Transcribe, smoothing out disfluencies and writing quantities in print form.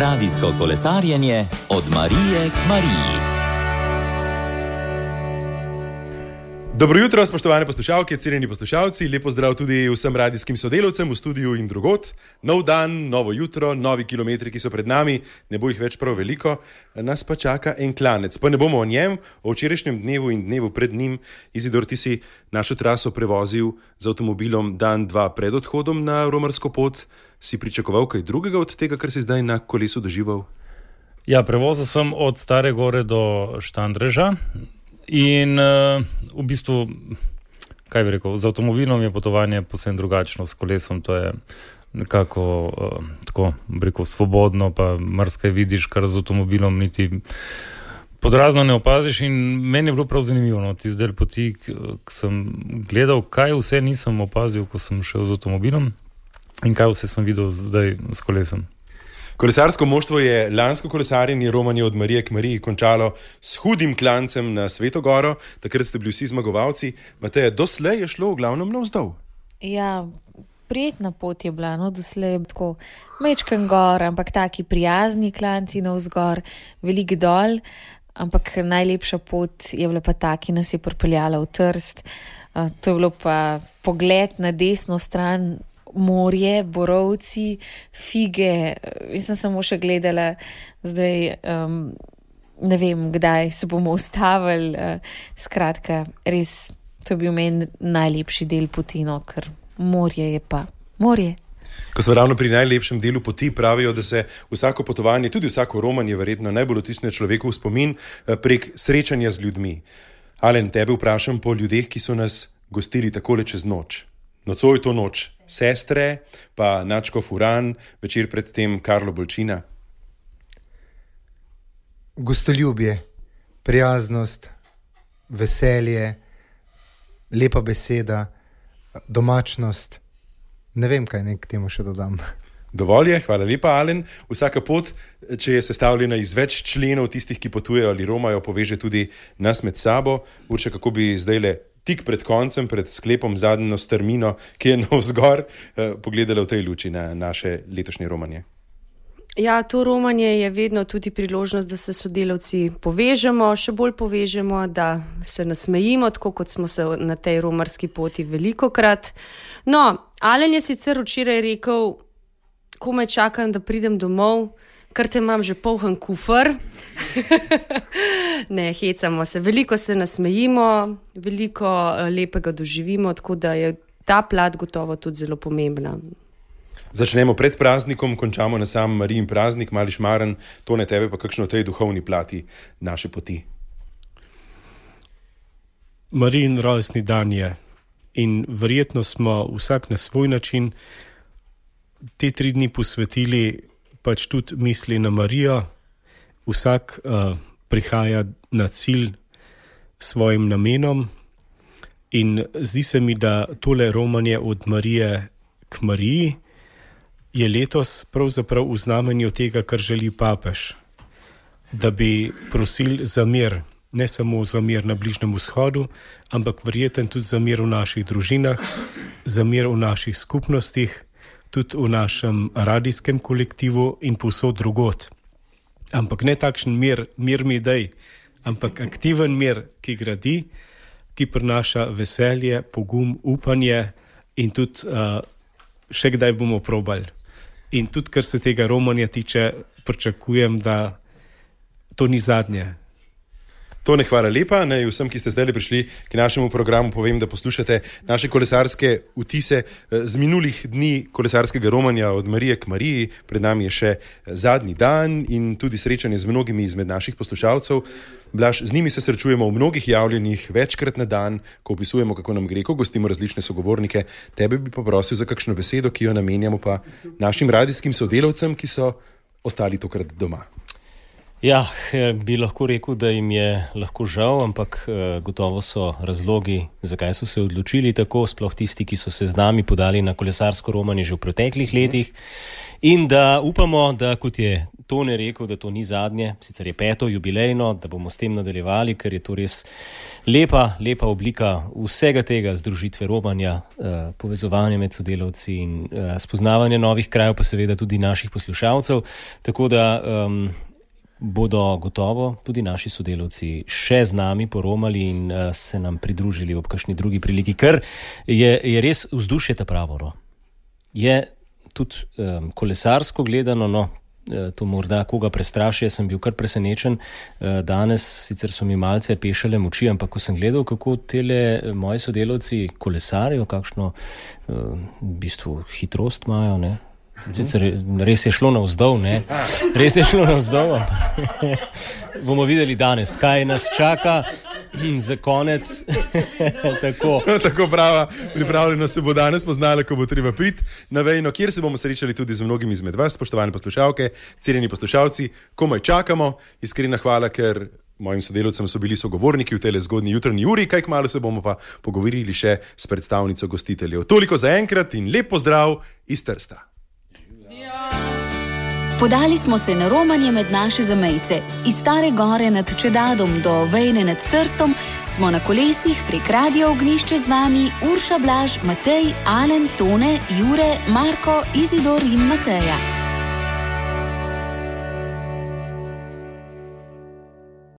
Radijsko kolesarjenje od Marije k Mariji. Dobro jutro, spoštovane poslušalke, cenjeni poslušalci. Lep pozdrav tudi vsem radijskim sodelavcem v studiu in drugod. Nov dan, novo jutro, novi kilometri, ki so pred nami, ne bo jih več prav veliko, nas pa čaka en klanec. Pa ne bomo o njem, o včerajšnjem dnevu in dnevu pred njim. Izidor, ti si našo traso prevozil z avtomobilom dan, dva pred odhodom na romarsko pot. Si pričakoval kaj drugega od tega, kar si zdaj na kolesu doživel? Ja, prevozil sem od Stare Gore do Štandreža. In v bistvu, kaj bi rekel, z avtomobilom je potovanje posebno drugačno, s kolesom to je nekako tako, bi rekel, svobodno, pa marsikaj vidiš, kar z avtomobilom niti podrazno ne opaziš. In meni je bilo prav zanimivo, no, tisti del poti, ko sem gledal, kaj vse nisem opazil, ko sem šel z avtomobilom in kaj vse sem videl zdaj s kolesom. Kolesarsko moštvo je lansko kolesarjenje romanje od Marije k Mariji končalo s hudim klancem na Sveto Goro. Takrat ste bili vsi zmagovalci. Mateja, doslej je šlo v glavnem navzdol. Ja, prijetna pot je bila, no, doslej tako mečken gor, ampak taki prijazni klanci navzgor, velik dol, ampak najlepša pot je bila pa ta, ki nas je pripeljala v Trst. To je bilo pa pogled na desno stran, morje, borovci, fige. Jaz sem samo še gledala zdaj, ne vem, kdaj se bomo ustavili. Skratka, res, to je bil meni najlepši del poti, no, ker morje je pa morje. Ko smo ravno pri najlepšem delu poti, pravijo, da se vsako potovanje, tudi vsako romanje verjetno najbolj vtisne človeku v spomin prek srečanja z ljudmi. Alen, tebe vprašam po ljudeh, ki so nas gostili takole čez noč. Nocoj to noč sestre, pa Načko Furan, večer predtem Karlo Bolčina. Gostoljubje, prijaznost, veselje, lepa beseda, domačnost. Ne vem, kaj naj k temu še dodam. Dovolj je, hvala lepa, Alen. Vsaka pot, če je sestavljena iz več členov, tistih, ki potujejo ali romajo, poveže tudi nas med sabo. Urče, kako bi zdajle tik pred koncem, pred sklepom zadnjo strmino, ki je navzgor, pogledala v tej luči na naše letošnje romanje? Ja, to romanje je vedno tudi priložnost, da se sodelavci povežemo, še bolj povežemo, da se nasmejimo, tako kot smo se na tej romarski poti velikokrat. No, Alen je sicer včeraj rekel, komaj čakam, da pridem domov, ker te imam že poln kufer. Ne, hecamo se, veliko se nasmejimo, veliko lepega doživimo, tako da je ta plat gotovo tudi zelo pomembna. Začnemo pred praznikom, končamo na sam Marijin praznik, mali šmaren, to ne tebe pa kakšno tej duhovni plati naše poti. Marijin rojstni dan je in verjetno smo vsak na svoj način te 3 dni posvetili pač tudi misli na Marijo. Vsak prihaja na cilj svojim namenom in zdi se mi, da tole romanje od Marije k Mariji je letos pravzaprav v znamenju tega, kar želi papež. Da bi prosili za mir, ne samo za mir na Bližnjem vzhodu, ampak verjetno tudi za mir v naših družinah, za mir v naših skupnostih, tudi v našem radijskem kolektivu in povsod drugod. Ampak ne takšen mir mi daj, ampak aktiven mir, ki gradi, ki prinaša veselje, pogum, upanje in tudi še kdaj bomo probali. In tudi, kar se tega romanja tiče, pričakujem, da to ni zadnje. Tone, hvala lepa. Naj vsem, ki ste zdaj prišli k našemu programu, povem, da poslušate naše kolesarske vtise z minulih dni kolesarskega romanja od Marije k Mariji. Pred nami je še zadnji dan in tudi srečanje z mnogimi izmed naših poslušalcev. Blaž, z njimi se srečujemo v mnogih javljenjih večkrat na dan, ko opisujemo, kako nam gre, ko gostimo različne sogovornike. Tebe bi poprosil za kakšno besedo, ki jo namenjamo pa našim radijskim sodelavcem, ki so ostali tokrat doma. Ja, bi lahko rekel, da jim je lahko žal, ampak gotovo so razlogi, zakaj so se odločili tako, sploh tisti, ki so se z nami podali na kolesarsko romanje že v preteklih letih. In da upamo, da kot je Tone rekel, da to ni zadnje, sicer je 5. jubilejno, da bomo s tem nadaljevali, ker je to res lepa oblika vsega tega združitve romanja, povezovanja med sodelavci in spoznavanja novih krajev, pa seveda tudi naših poslušalcev. Tako da bodo gotovo tudi naši sodelavci še z nami poromali in se nam pridružili ob kakšni drugi priliki, ker je res vzdušje ta pravo. Je tudi kolesarsko gledano, to morda koga prestraši, jaz sem bil kar presenečen. Danes sicer so mi malce pešale moči, ampak ko sem gledal, kako tele moji sodelavci kolesarijo, kakšno v bistvu hitrost imajo, ne? Res je šlo navzdol, ne? Res je šlo navzdol, ampak bomo videli danes, kaj nas čaka za konec. Tako prava pripravljenost se bo danes poznala, ko bo treba priti na Vejno, kjer se bomo srečali tudi z mnogimi izmed vas, spoštovane poslušalke, cenjeni poslušalci. Komaj čakamo, iskrena hvala, ker mojim sodelavcem so bili sogovorniki v tele zgodnji jutranji uri, kaj kmalu se bomo pa pogovorili še s predstavnico gostiteljev. Toliko za enkrat in lep pozdrav iz Trsta. Podali smo se na romanje med naše zamejce. Iz Stare Gore nad Čedadom do Vejne nad Trstom smo na kolesih prek Radio Ognjišče z vami Urša, Blaž, Matej, Alen, Tone, Jure, Marko, Izidor in Mateja.